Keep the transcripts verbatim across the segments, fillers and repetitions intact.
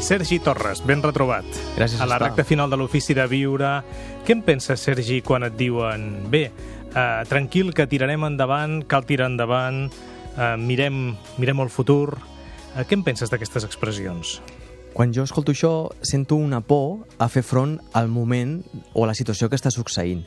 Sergi Torres, ben retrobat. Gràcies, a la Estal. recta final de l'Ofici de Viure. Què en penses, Sergi, quan et diuen bé, eh, tranquil, que tirarem endavant, cal tirar endavant, eh, mirem, mirem el futur? Eh, què en penses d'aquestes expressions? Quan jo escolto això, sento una por a fer front al moment o a la situació que està succeint.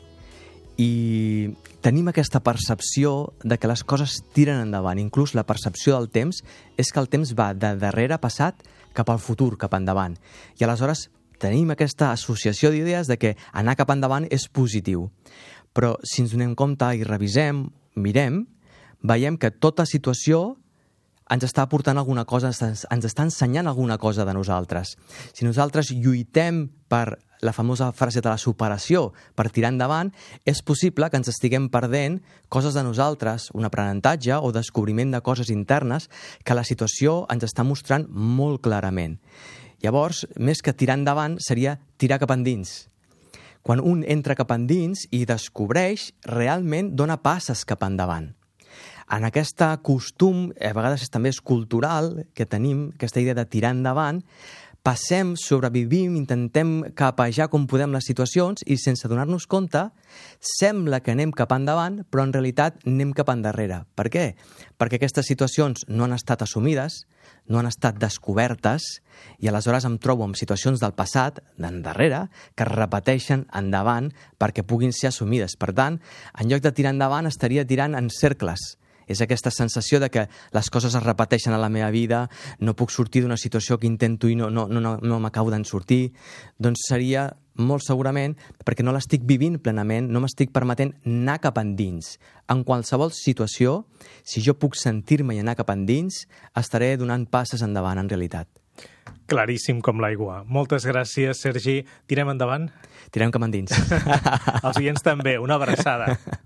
I tenim aquesta percepció de que les coses tiren endavant. Inclús la percepció del temps és que el temps va de darrere passat cap al futur, cap endavant. I aleshores tenim aquesta associació d'idees de que anar cap endavant és positiu. Però si ens donem compte i revisem, mirem, veiem que tota situació ens està aportant alguna cosa, ens està ensenyant alguna cosa de nosaltres. Si nosaltres lluitem per la famosa frase de la superació, per tirar endavant, és possible que ens estiguem perdent coses de nosaltres, un aprenentatge o descobriment de coses internes que la situació ens està mostrant molt clarament. Llavors, més que tirar endavant, seria tirar cap endins. Quan un entra cap endins i descobreix, realment dona passes cap endavant. En aquest costum, a vegades també és cultural, que tenim aquesta idea de tirar endavant, passem, sobrevivim, intentem capejar com podem les situacions i sense donar-nos compte, sembla que anem cap endavant, però en realitat anem cap endarrere. Per què? Perquè aquestes situacions no han estat assumides, no han estat descobertes i aleshores em trobo en situacions del passat, d'endarrere, que es repeteixen endavant perquè puguin ser assumides. Per tant, en lloc de tirar endavant, estaria tirant en cercles. És aquesta sensació de que les coses es repeteixen a la meva vida, no puc sortir d'una situació que intento i no, no, no, no, no m'acabo d'en sortir, doncs seria molt segurament perquè no l'estic vivint plenament, no m'estic permetent anar cap endins. En qualsevol situació, si jo puc sentir-me i anar cap endins, estaré donant passes endavant en realitat. Claríssim com l'aigua. Moltes gràcies, Sergi. Tirem endavant? Tirem cap endins. Els oients també. Una abraçada.